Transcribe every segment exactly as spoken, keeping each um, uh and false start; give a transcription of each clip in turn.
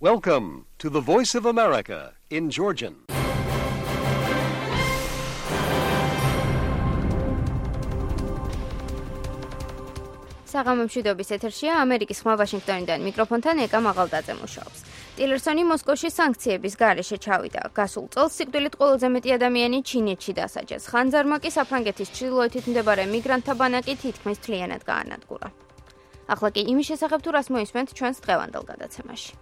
Welcome to the Voice of America in Georgian. საღამომშვიდობის ეთერშია ამერიკის ხმა ვაშინგტონიდან მიკროფონთან ეკა მაღალდაძე მუშაობს. ტილერსონი მოსკოვში სანქციების გარეშე ჩავიდა. გასულ წელს სიკვდილით ყველაზე მეტი ადამიანი ჩინეთში დასაჯეს. ხანძარმა კი საფრანგეთის ჩრდილოეთით მდებარე მიგრანტთა ბანაკი თითქმის მთლიანად გაანადგურა. ახლა კი იმის შესახებ თუ რას მოისმენთ ჩვენს დღევანდელ გადაცემაში.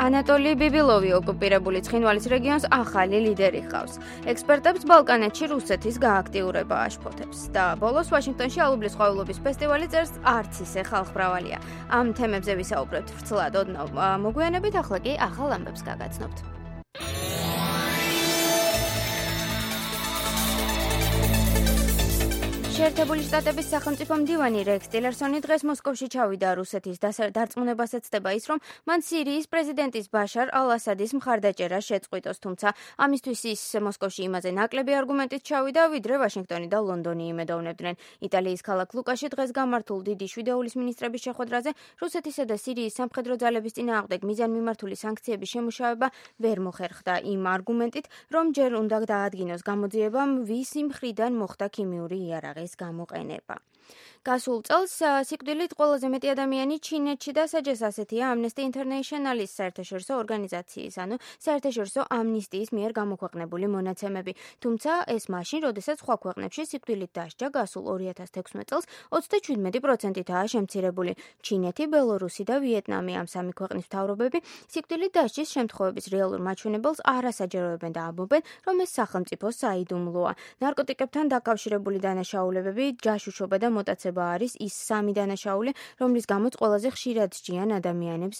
ანატოლი ბიბილოვი ოკუპირებული ცხინვალის რეგიონს ახალი ლიდერი ჰყავს. ექსპერტებს ბალკანეთში რუსეთის გააქტიურება აშფოთებს და ბოლოს ვაშინგტონში ალუბლის ყვავილობის ფესტივალი წერს არც ისე ხალხმრავალია. ამ თემებზე ვისაუბრებთ ვრცლად ოდნავ მოგვიანებით, ახლა კი ახალ ამბებს გაგაცნობთ. შეერთებული შტატების სახელმწიფო მდივანი რექს ტილერსონი დღეს მოსკოვში ჩავიდა. რუსეთის დარწმუნებას ეცდება ის, რომ მან სირიის პრეზიდენტის ბაშარ ალ-ასადის მხარდაჭერა შეწყვიტოს, თუმცა ამისთვის ის მოსკოვში იმაზე ნაკლები არგუმენტით ჩავიდა, ვიდრე ვაშინგტონი და ლონდონი იმედოვნებდნენ. იტალიის ქალაქ ლუკაში დღეს გამართულ დიდი შვიდეულის მინისტრების შეხვედრაზე რუსეთისა და სირიის სამხედრო ძალების წინააღმდეგ მიზანმიმართული სანქციების შემუშავება ვერ მოხერხდა იმ არგუმენტით, რომ ჯერ უნდა დაადგინოს გამოძიებამ ვისი მხრიდან მოხდა ქიმიური იარაღი გამოყენება. გასულ წელს სიკვდილით ყველაზე მეტი ადამიანი ჩინეთში დასაჯეს, ასეთია Amnesty International-ის საერთაშორისო ორგანიზაციის, ანუ საერთაშორისო ამნისტიის მიერ გამოქვეყნებული მონაცემები. თუმცა ეს მაშინ, როდესაც სხვა ქვეყნებში სიკვდილით დასჯა გასულ ორი ათას თექვსმეტ წელს ოცდაშვიდმეტი პროცენტითაა შემცირებული. ჩინეთი, ბელორუსი და ვიეტნამი, ამ სამი ქვეყნის მთავრობები სიკვდილით დასჯის შემთხვევების რეალურ მაჩვენებელს არ ასაჯეროებენ და ამბობენ, რომ ეს სახელმწიფო საიდუმლოა. ნარკოტიკებთან დაკავშირებული დანაშაულებები, ჯაშუშობა და მოტაცება არის ის სამი დანაშაული, რომლის გამოც ყველაზე ხშირად სჯიან ადამიანებს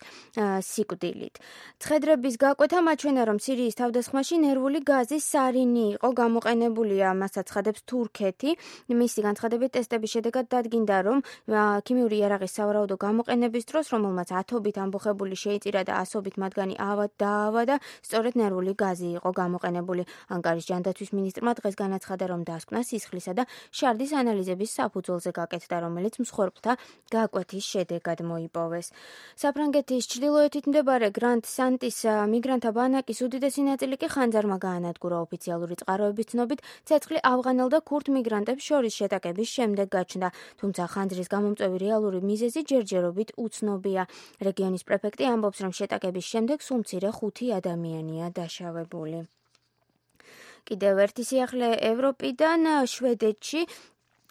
სიკვდილით. ცხედრების გაკვეთა მაჩვენა, რომ სირიის თავდასხმაში ნერვული გაზის სარინი იყო გამოყენებული, მას აცხადებს თურქეთი. მისი განცხადებით ტესტების შედეგად დადგინდა, რომ ქიმიური იარაღის სავარაუდო გამოყენების დროს, რომელმაც ათობით ამბოხებული შეიწირა და ასობით მათგანი დაავადა, სწორედ ნერვული გაზი იყო გამოყენებული. ანკარის ჯანდაცვის მინისტრმა დღეს განაცხადა, რომ დასკვნა სისხლისა და შარდის ანალიზების საფუძველზე გაკეთდა, რომელიც მსხვერპლთა გაკვეთის შედეგად მოიპოვეს. საფრანგეთის ჩრდილოეთით მდებარე გრანდ სანტის მიგრანტთა ბანაკის უდიდესი ნაწილი კი ხანძარმა გაანადგურა. ოფიციალური წყაროების ცნობით, ცეცხლი ავღანელ და ქურთ მიგრანტებს შორის შეტაკების შემდეგ გაჩნდა, თუმცა ხანძრის გამომწვევი რეალური მიზეზი ჯერჯერობით უცნობია. რეგიონის პრეფექტი ამბობს, რომ შეტაკების შემდეგ სულ მცირე ხუთი ადამიანია დაშავებული. კიდევ ერთი სიახლე ევროპიდან შვედეთში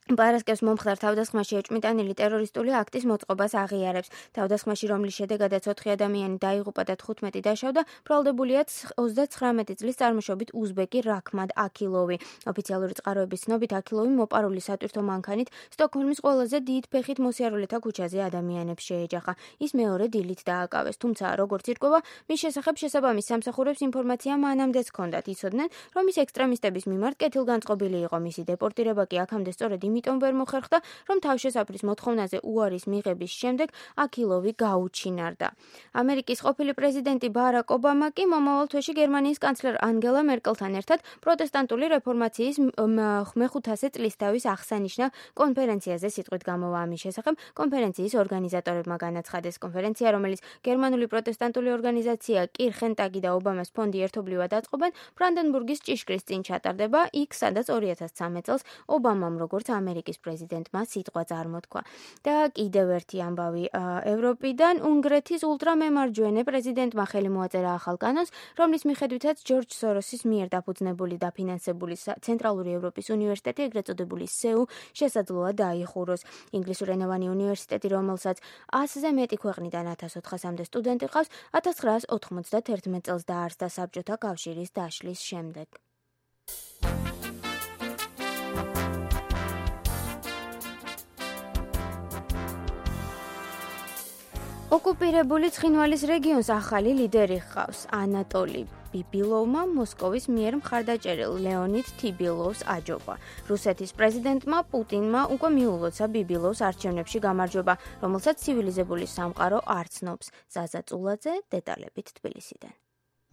პარასკევს მომხდარ თავდასხმაში ეჭვმიტანილი ტერორისტული აქტის მოწყობას აღიარებს. თავდასხმაში, რომლის შედეგადაც ოთხი ადამიანი დაიღუპა და თხუთმეტი დაშავდა, ბრალდებულია ოცდაცხრამეტი წლის წარმოშობით უზბეკი რაქმად აქილოვი. ოფიციალური წყაროების ცნობით, აქილოვი მოპარული სატვირთო მანქანით სტოკჰოლმის ყველაზე დიდ ფეხით მოსიარულეთა ქუჩაზე ადამიანებს შეეჯახა. ის მეორე დილით დააკავეს, თუმცა როგორც ირკვევა, მის შესახებ შესაბამის სამსახურებს ინფორმაცია მანამდეც ჰქონდათ. იცოდნენ, რომ ის ექსტრემისტების მიმართ კეთილგანწყობილი იყო. მისი დეპორტირება კი აქამდე სწორედ იმიტომ ვერ მოხერხდა, რომ თავშესაფრის მოთხოვნაზე უარის მიღების შემდეგ აქილოვი გაუჩინარდა. ამერიკის ყოფილი პრეზიდენტი ბარაკ ობამა კი მომავალ თვეში გერმანიის კანცლერ ანგელა მერკელთან ერთად პროტესტანტული რეფორმაციის მეხუთასე წლისთავის აღსანიშნავ კონფერენციაზე სიტყვით გამოვა. ამის შესახებ კონფერენციის ორგანიზატორებმა განაცხადეს. კონფერენცია, რომელიც გერმანული პროტესტანტული ორგანიზაცია კირხენტაგი და ობამას ფონდი ერთობლივად აწყობენ, ბრანდენბურგის ჭიშკრის წინ ჩატარდება, იქ სადაც ორი ათას ცხრამეტ წელს ობამამ როგორც ამერიკის პრეზიდენტმა სიტყვა წარმოთქვა. და კიდევ ერთი ამბავი ევროპიდან, უნგრეთის ულტრამემარჯვენე პრეზიდენტმა ხელი მოაწერა ახალ კანონს, რომლის მიხედვითაც ჯორჯ სოროსის მიერ დაფუძნებული და ფინანსებული ცენტრალური ევროპის უნივერსიტეტი, ეგრეთ წოდებული სეუ, შესაძლოა დაიხუროს. ინგლისურენოვანი უნივერსიტეტი, რომელსაც ასზე მეტი ქვეყნიდან ათას ოთხასამდე სტუდენტი ყავს, ათას ცხრაას ოთხმოცდათერთმეტ წელს დაარსდა საბჭოთა კავშირის დაშლის შემდეგ. ოკუპირებული ცხინვალის რეგიონს ახალი ლიდერი ჰყავს. ანატოლი ბიბილოვმა მოსკოვის მიერ მხარდაჭერილ ლეონიდ თიბილოვს აჯობა. რუსეთის პრეზიდენტმა პუტინმა უკვე მიულოცა ბიბილოვს არჩევნებში გამარჯვება, რომელსაც ცივილიზებული სამყარო არ ცნობს. ზაზა წულაძე დეტალებით თბილისიდან.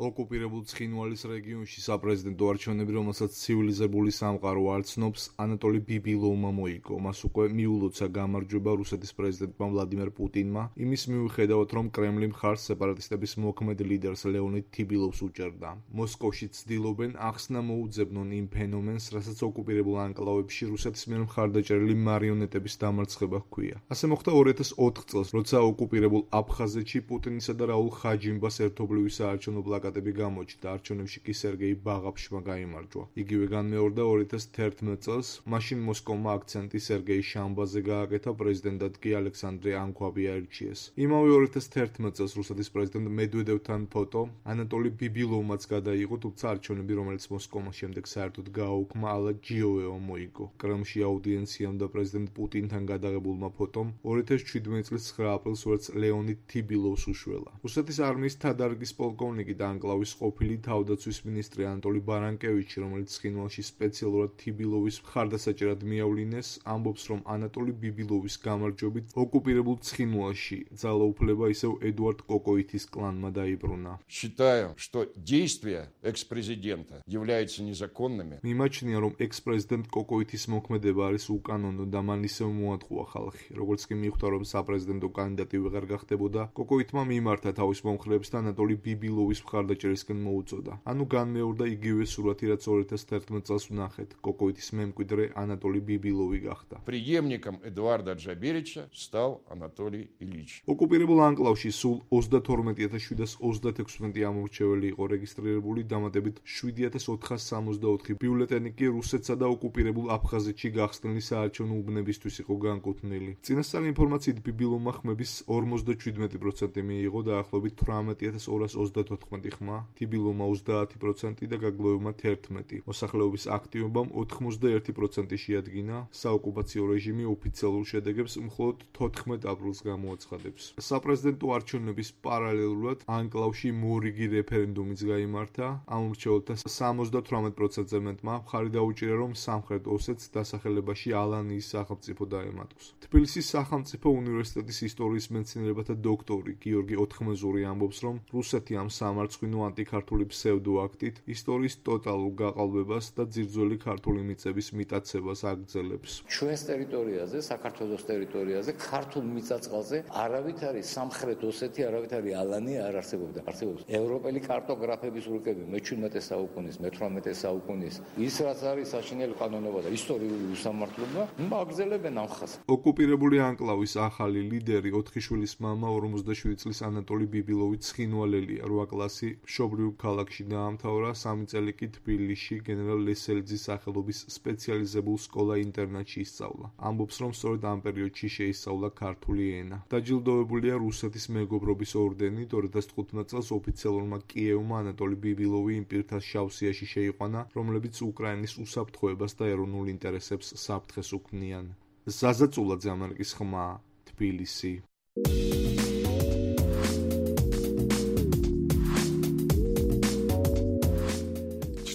ოკუპირებულ ცხინვალის რეგიონში საპრეზიდენტო არჩევნები, რომელსაც ცივილიზებული სამყარო არ ცნობს, ანატოლი ბიბილოვმა მოიგო. მას უკვე მიულოცა გამარჯვება რუსეთის პრეზიდენტმა ვლადიმერ პუტინმა, იმის მიუხედავად, რომ კრემლი მხარს სეპარატისტების მოქმედ ლიდერს ლეონიდ თიბილოვს უჭერდა. მოსკოვში ცდილობენ ახსნა მოუძებნონ იმ ფენომენს, რასაც ოკუპირებულ ანკლავებში რუსეთის მიერ მხარდაჭერილი მარიონეტების დამარცხება ჰქვია. ასე მოხდა ორი ათას ოთხ წელს, როცა ოკუპირებულ აფხაზეთში პუტინისა და რაულ ხაჯიმბას ერთობლივი საარჩევნო პლაკატები გამოჩნდა, არჩევნებში კი სერგეი ბაღაფშმა გაიმარჯვა. იგივე განმეორდა ორი ათას თერთმეტ წელს, მაშინ მოსკოვმა აქცენტი სერგეი შამბაზე გააკეთა, პრეზიდენტად კი ალექსანდრე ანქვაბი აირჩიეს. იმავე ორი ათას თერთმეტ წელს რუსეთის პრეზიდენტ მედვედევთან ფოტო ანატოლი ბიბილოვმაც გადაიღო, თუმცა არჩევნები, რომელიც მოსკოვმა შემდეგ საერთოდ გააუქმა, ალა ჯიოვევამ მოიგო. კრემლში აუდიენციამ და პრეზიდენტ პუტინთან გადაღებულმა ფოტომ ორი ათას შვიდმეტ წლის ცხრა აპრილს ვერც ლეონიდ თიბილოვს უშველა. რუსეთის არმიის თადარიგის პოლკოვნიკი და ანკლავის ყოფილი თავდაცვის მინისტრი ანატოლი ბარანკევიჩი, რომელიც ცხინვალში სპეციალურად თიბილოვის მხარდასაჭერად მიავლინეს, ამბობს, რომ ანატოლი ბიბილოვის გამარჯვებით ოკუპირებულ ცხინვალში ძალაუფლება ისევ ედუარდ კოკოითის კლანმა დაიბრუნა. Считаю, что действия экс-президента являются незаконными. მიმაჩნია, რომ ექს-პრეზიდენტ კოკოითის მოქმედება არის უკანონო და მან ისევ მოატყუა ხალხი. როგორც კი მიხვდა, რომ საპრეზიდენტო კანდიდატი ვეღარ გახდებოდა, კოკოითმა მიმართა თავის მომხრეებს და ანატოლი ბიბილოვის მხარდაჭერისკენ მოუწოდა. ანუ განმეორდა იგივე სურათი, რაც ორი ათას თერთმეტ წელს ვნახეთ. კოკოითის მემკვიდრე ანატოლი ბიბილოვი გახდა. Преемником Эдуарда Джаберича стал Анатолий Ильич. ოკუპირებულ ანკლავში სულ ოცდათორმეტი ათას შვიდას ოცდათექვსმეტი ამორჩეველი იყო რეგისტრირებული, დამატებით შვიდი ათას ოთხას სამოცდაოთხი ბიულეტენი კი რუსეთსა და ოკუპირებულ აფხაზეთში გახსნილი საარჩევნო უბნებისთვის იყო განკუთვნილი. წინასწარი ინფორმაციით ბიბილოვმა ხმების ორმოცდაშვიდმეტი პროცენტი მიიღო, დაახლოებით თვრამეტი ათას ორას ოცდათოთხმეტი ხმა, თიბილოვმა ოცდაათი პროცენტი და გაგლოევმა თერთმეტი. მოსახლეობის აქტივობამ ოთხმოცდაერთი პროცენტი შეადგინა. საოკუპაციო რეჟიმი ოფიციალურ შედეგებს მხოლოდ თოთხმეტ აპრილს გამოაცხადებს. საპრეზიდენტო არჩევნების პარალელურად ანკლავში მორიგი რეფერენდუმიც გაიმართა. ამ მრჩეველთა სამოცდათვრამეტ პროცენტზე მეტმა მხარი დაუჭირა, რომ სამხრეთ ოსეთს დასახელებაში ალანიის სახელმწიფო დაემატოს. თბილისის სახელმწიფო უნივერსიტეტის ისტორიის მეცნიერებათა დოქტორი გიორგი ოთხმეზური ამბობს, რომ რუსეთი ამ სამარცხვინო ანტიქართული ფსევდოაქტით ისტორიის ტოტალურ გაყალბებას და ძირძველი ქართული მიწების მიტაცებას აგრძელებს. ჩვენს ტერიტორიაზე, საქართველოს ტერიტორიაზე, ქართულ მიწა-წყალზე არავითარი სამხრეთ ოსეთი, არავითარი ალანი არ არსებობდა. არსებობს ევროპელი კარტოგრაფების რუკები მეჩვიდმეტე საუკუნის, მეთვრამეტე საუკუნის. ის რაც არის საშინელი კანონობა და ისტორიული უსამართლობა, მაგზელებენ ამ ხაზს. ოკუპირებული ანკლავის ახალი ლიდერი ოთხი შვილის მამა ორმოცდაშვიდი წლის ანატოლი ბიბილოვი ცხინვალელია. რვა კლასი მშობლიურ ქალაქში დაამთავრა, სამი წელი კი თბილისში გენერალ ლესელიძის სახელობის სპეციალიზებულ სკოლა-ინტერნატში ისწავლა. ამბობს, რომ სწორედ ამ პერიოდში შეისწავლა ქართული ენა. დაჯილდოებულია რუსეთის მეგობრობის ორდენით. ორი ათას თხუთმეტ წელს ოფიციალურმა კიევმა ანატოლი ბიბილოვი იმ პირთა შავსიაში შეიყვანა, რომლებიც უკრაინის უსაფრთხოებას და ეროვნულ ინტერესებს საფრთხეს უქმნიან. ზაზა წულაძე, ამერიკის ხმა, თბილისი.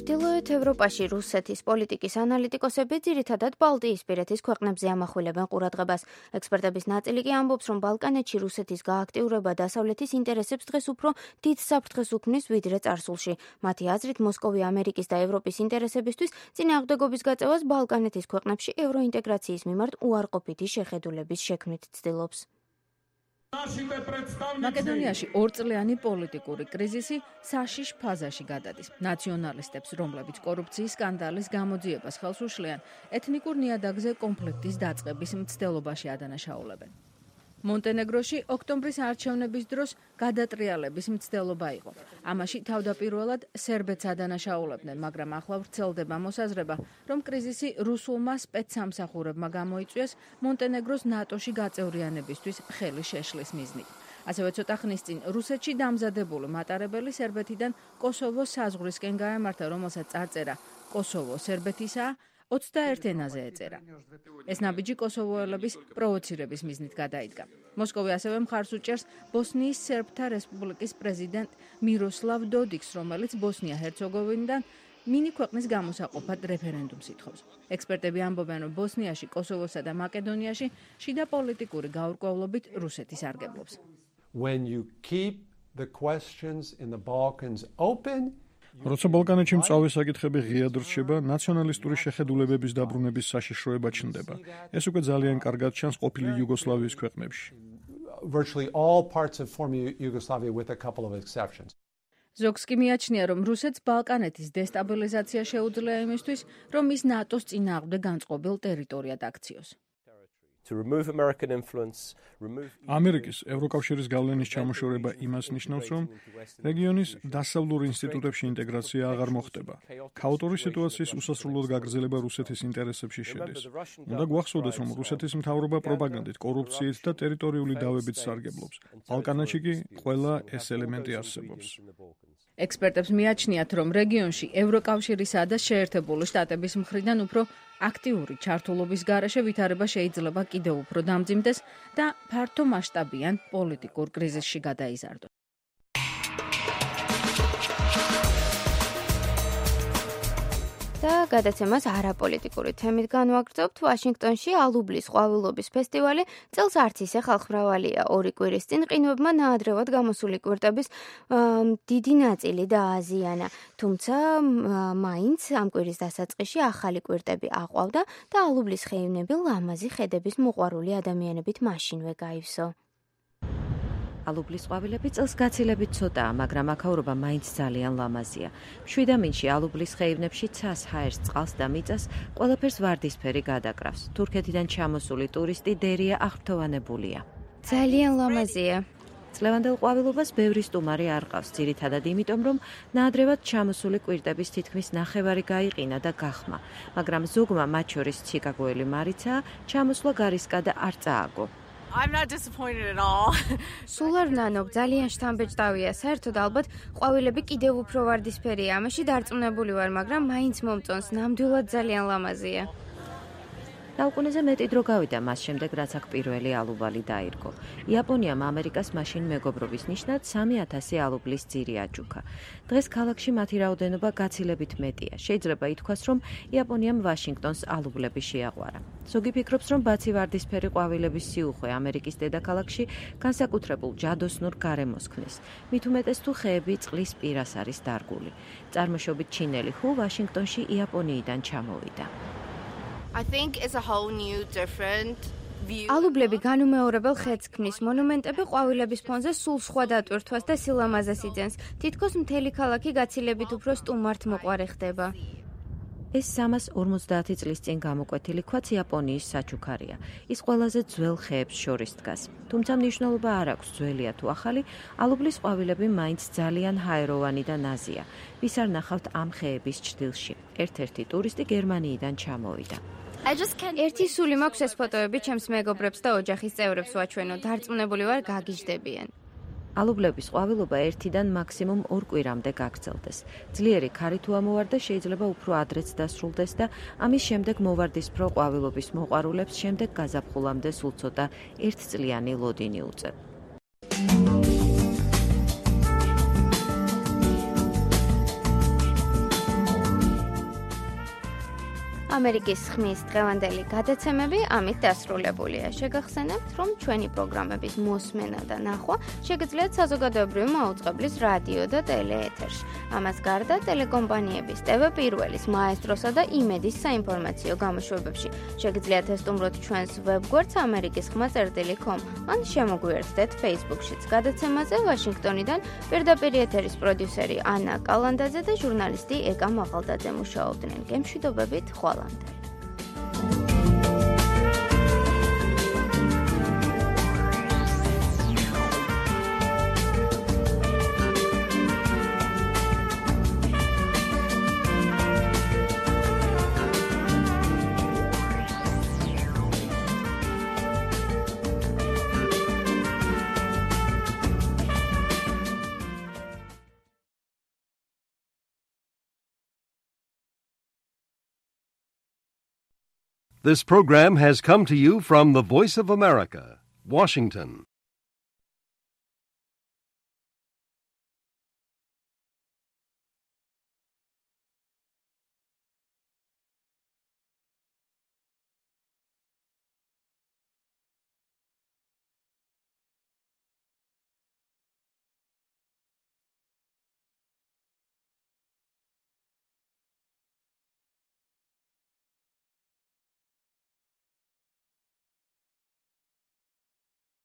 ჩრდილოეთ ევროპაში რუსეთის პოლიტიკის ანალიტიკოსები ძირითადად ბალტიისპირეთის ქვეყნებზე ამახვილებენ ყურადღებას. ექსპერტების ნაწილი კი ამბობს, რომ ბალკანეთში რუსეთის გააქტიურება დასავლეთის ინტერესებს დღეს უფრო დიდ საფრთხეს უქმნის, ვიდრე წარსულში. მათი აზრით, მოსკოვი ამერიკის და ევროპის ინტერესებისთვის წინააღმდეგობის გაწევას ბალკანეთის ქვეყნებში ევროინტეგრაციის მიმართ უარყოფითი შეხედულების შექმნით ცდილობს. მაკედონიაში ორწლიანი პოლიტიკური კრიზისი საშიშ ფაზაში გადადის. ნაციონალისტებს, რომლებიც კორუფციის სკანდალის გამოძიებას ხელს უშლიან, ეთნიკურ ნიადაგზე კონფლიქტის დაწყების მცდელობაში ადანაშაულებენ. მონტენეგროში ოქტომბრის არჩევნების დროს გადატრიალების მცდელობა იყო. ამაში თავდაპირველად სერბეთს ადანაშაულებდნენ, მაგრამ ახლა ვრცელდება მოსაზრება, რომ კრიზისი რუსულმა სპეცსამსახურებმა გამოიწვიეს მონტენეგროს ნატოში გაწევრიანებისთვის ხელი შეშლის მიზნით. ასევე ცოტა ხნის წინ რუსეთში დამზადებული მატარებელი სერბეთიდან კოსოვოს საზღვრისკენ გაემართა, რომელსაც წარწერა კოსოვო სერბეთისაა, ოცდაერთ ენაზე ეწერა. ეს ნაბიჯი კოსოვოელების პროვოცირების მიზნით გადაიდგა. მოსკოვი ასევე მხარს უჭერს ბოსნიის სერბთა რესპუბლიკის პრეზიდენტ მიროსლავ დოდიკს, რომელიც ბოსნია-ჰერცეგოვინიდან მინი ქვეყნის გამოსაყოფად რეფერენდუმს ითხოვს. ექსპერტები ამბობენ, რომ ბოსნიაში, კოსოვოსა და მაკედონიაში შიდა პოლიტიკური გაურკვევლობით რუსეთი სარგებლობს. When you keep the questions in the Balkans open. როცა ბალკანეთში მწვავე საკითხები ღიად რჩება, ნაციონალისტური შეხედულებების დაბრუნების საშიშროება ჩნდება. ეს უკვე ძალიან კარგად ჩანს ყოფილი იუგოსლავიის ქვეყნებში. Virtually all parts of former Yugoslavia with a couple of exceptions. ზოგს კი მიაჩნია, რომ რუსეთს ბალკანეთის დესტაბილიზაცია შეუძლია იმისთვის, რომ ის ნატოს წინააღმდეგ განწყობილ ტერიტორიად აქციოს. ამერიკის ევროკავშირის გავლენის ჩამოშორება იმას ნიშნავს, რომ რეგიონის დასავლურ ინსტიტუტებში ინტეგრაცია აღარ მოხდება. ქაოტური სიტუაციის უსასრულოდ გაგრძელება რუსეთის ინტერესებში შედის. უნდა გვახსოვდეს, რომ რუსეთის მთავრობა პროპაგანდით, კორუფციით და ტერიტორიული დავებით სარგებლობს. ბალკანეთში კი ყველა ეს ელემენტი არსებობს. ექსპერტებს მიაჩნიათ, რომ რეგიონში ევროკავშირისა და შეერთებული შტატების მხრიდან უფრო აქტიური ჩართულობის გარეშე ვითარება შეიძლება კიდევ უფრო დამძიმდეს და ფართო მასშტაბიან პოლიტიკურ კრიზისში გადაიზარდოს. და გადაცემას არაპოლიტიკური თემით განვაგრძობთ. ვაშინგტონში ალუბლის ყვავილობის ფესტივალი წელს არც ისე ხალხმრავალია. ორი კვირის წინ ყინვებმა ნაადრევად გამოსული კვირტების დიდი ნაწილი დააზიანა. თუმცა მაინც ამ კვირის დასაწყისში ახალი კვირტები აყვავდა და ალუბლის ხეივნები ლამაზი ხედების მოყვარული ადამიანებით მაშინვე გაივსო. ალუბლის ყვავილები წელს გაცილებით ცოტაა, მაგრამ აქაურობა მაინც ძალიან ლამაზია. მშვიდამინში ალუბლის ხეივნებში ცას, ჰაერს, წყალს და მიწას ყველაფერს ვარდისფერი გადაკრავს. თურქეთიდან ჩამოსული ტურისტი დერია აღფრთოვანებულია. ძალიან ლამაზია. წლევანდელ ყვავილობას ბევრი სტუმარი არ ყავს, ძირითადად იმიტომ, რომ ნაადრევად ჩამოსული კვირტების თითქმის ნახევარი გაიყინა და გახმა, მაგრამ ზოგმა, მათ შორის ჩიკაგოელი მარიცაა, ჩამოსვლა გარისკა და არ წააგო. I'm not disappointed at all. სულ არ ნანობ, ძალიან შთამბეჭდავია. საერთოდ ალბათ ყვავილები კიდევ უფრო ვარდისფერია. ამაში დარწმუნებული ვარ, მაგრამ მაინც მომწონს. ნამდვილად ძალიან ლამაზია. საუკუნეზე მეტი დრო გავიდა მას შემდეგ, რაც აქ პირველი ალუბალი დაირგო. იაპონიამ ამერიკას მაშინ მეგობრობის ნიშნად სამი ათასი ალუბლის ძირი აჯუქა. დღეს ქალაქში მათი რაოდენობა გაცილებით მეტია. შეიძლება ითქვას, რომ იაპონიამ ვაშინგტონს ალუბლები შეაყვარა. ზოგი ფიქრობს, რომ ბაცი ვარდისფერი ყვავილების სიუხვე ამერიკის დედაქალაქში განსაკუთრებულ ჯადოსნურ გარემოს ქმნის. მით უმეტეს თუ ხეები წყლის პირას არის დარგული. წარმოშობით ჩინელი ჰუ ვაშინგტონში იაპონიიდან ჩამოვიდა. I think it's a whole new different view. ალუბლები განუმეორებელ ხედს ქმნის. მონუმენტები ყვავილების ფონზე სულ სხვა დატვირთვას და სილამაზეს იძენს. თითქოს მთელი ქალაქი გაცილებით უფრო სტუმართ მოყვარე ხდება. ეს სამას ორმოცდაათი წლის წინ გამოკვეთილი ქვაც იაპონიის საჩუქარია. ის ყველაზე ძველ ხეებს შორის დგას. თუმცა მნიშვნელობა არ აქვს ძველია თუ ახალი, ალუბლის ყვავილები მაინც ძალიან ჰაეროვანი და ნაზია. ვის არ ნახავთ ამ ხეების ჭრილში. ერთ-ერთი ტურისტი გერმანიიდან ჩამოვიდა. ერთი სული მაქვს ეს ფოტოები ჩემს მეგობრებს და ოჯახის წევრებს ვაჩვენო. დარწმუნებული ვარ, გაგიჟდებიან. ალუბლების ყვავილობა ერთიდან მაქსიმუმ ორ კვირამდე გაგრძელდეს. ძლიერი ქარი თუ ამოვარდა, შეიძლება უფრო ადრეც დასრულდეს და ამის შემდეგ მოვარდისფრო ყვავილობის მოყვარულებს შემდეგ გაზაფხულამდე სულ ცოტა ერთწლიანი ლოდინი უწევ. ამერიკის ხმის დღევანდელი გადაცემები ამით დასრულებულია. შეგახსენებთ, რომ ჩვენი პროგრამების მოსმენა და ნახვა შეგიძლიათ საზოგადოებრივი მაუწყებლის რადიო და ტელეეთერში. ამას გარდა ტელეკომპანიების ტევ პირველის, მაესტროსა და იმედის საინფორმაციო გამოშვებებში. შეგიძლიათ ესტუმროთ ჩვენს ვებგვერდს ამერიკის ხმა წერტილი კომ ან შემოგვიერთდეთ Facebook-შიც. გადაცემაზე ვაშინგტონიდან პირდაპირ ეთერის პროდიუსერი ანა კალანდაძე და ჟურნალისტი ეკა მაღალდაძე მუშაობდნენ. გემშვიდობებით, ხვალამდე. This program has come to you from the Voice of America, Washington.